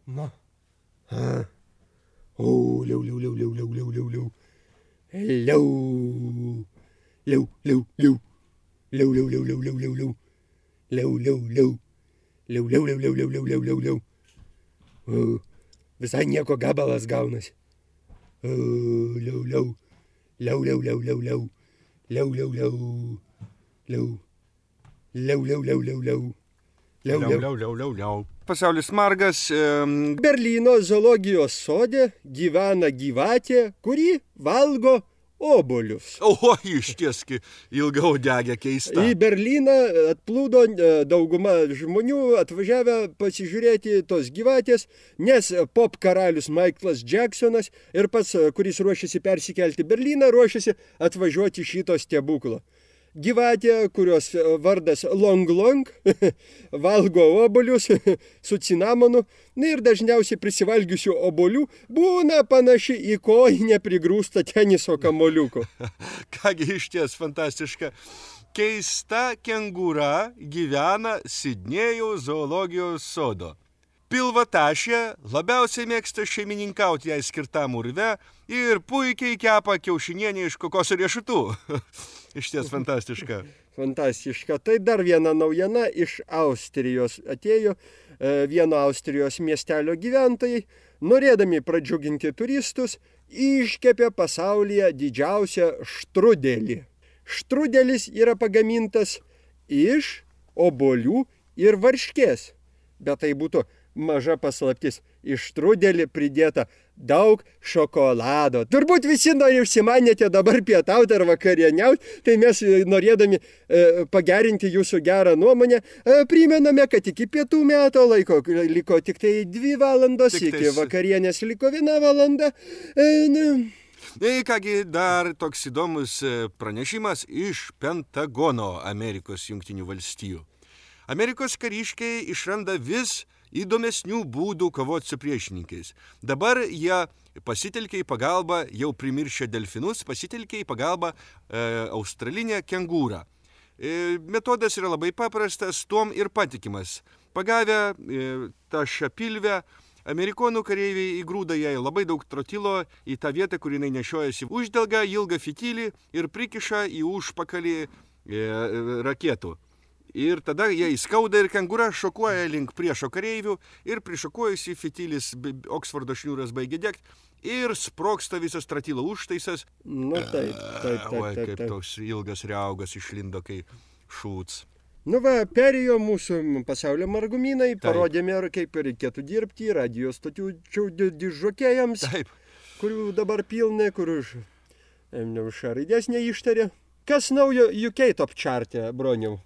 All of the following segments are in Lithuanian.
Na. O, liau. Liau. O, visai nieko gabalas gaunasi. O, liau. Liau. Pasaulis margas. Berlyno zoologijos sode gyvena gyvatė, kuri valgo obuolius. O, ištieski ilgaudegė keista. Į Berlyną atplūdo dauguma žmonių atvažiavę pasižiūrėti tos gyvatės, nes pop karalius Michaelas Jacksonas ir pats, kuris ruošiasi persikelti Berlyną, ruošiasi atvažiuoti šito stebuklo. Gyvatė, kurios vardas Long, valgo obuolius su cinamonu ir dažniausiai prisivalgiusių obuolių būna panaši į kojinę prigrūstą teniso kamuoliuko. Kągi išties fantastiška. Keista kengūra gyvena Sidnėjaus zoologijos sodo. Pilvatašė labiausiai mėgsta šeimininkauti jai skirtam urve ir puikiai kepa kiaušinienę iš kokosų riešutų. Išties fantastiška. Fantastiška. Tai dar viena naujiena iš Austrijos atėjo. Vieno Austrijos miestelio gyventojai, norėdami pradžiuginti turistus, iškepė pasaulyje didžiausią štrudelį. Štrudelis yra pagamintas iš obuolių ir varškės. Bet tai būtų maža paslaptis. Iš štrudelį pridėta daug šokolado. Turbūt visi užsimanėte dabar pietauti ar vakarieniauti, tai mes norėdami pagerinti jūsų gerą nuomonę, primename, kad iki pietų meto laiko liko tik tai 2 valandos, iki vakarienės liko 1 valanda. Kągi, dar toks įdomus pranešimas iš Pentagono Amerikos Jungtinių valstijų. Amerikos kariškiai išranda vis įdomesnių būdų kovoti su priešininkais. Dabar jie pasitelkė į pagalbą, jau primiršę delfinus, pasitelkė į pagalbą australinę kengūrą. Metodas yra labai paprastas, tuom ir patikimas. Pagavę tą šapilvę, amerikonų kareiviai įgrūda jai labai daug trotilo į tą vietą, kur jinai nešiojasi, uždelga ilgą fitilį ir prikiša į užpakalį raketų. Ir tada jie įskauda ir kengūra šokuoja link priešo kareivių ir prišokuojusi fitilis Oksfordo šniūras baigia degti ir sprogsta visas trotilo užtaisas. Nu, taip. Kaip toks ilgas riaugas išlindo, kai šūts. Nu va, perėjo mūsų pasaulio margumynai, parodėme, kaip reikėtų dirbti radijo stočių dižokėjams, kurių dabar pilna, kur už raidės neištarė. Kas naujo UK top čarte, Broniau?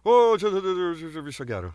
O, viso gero.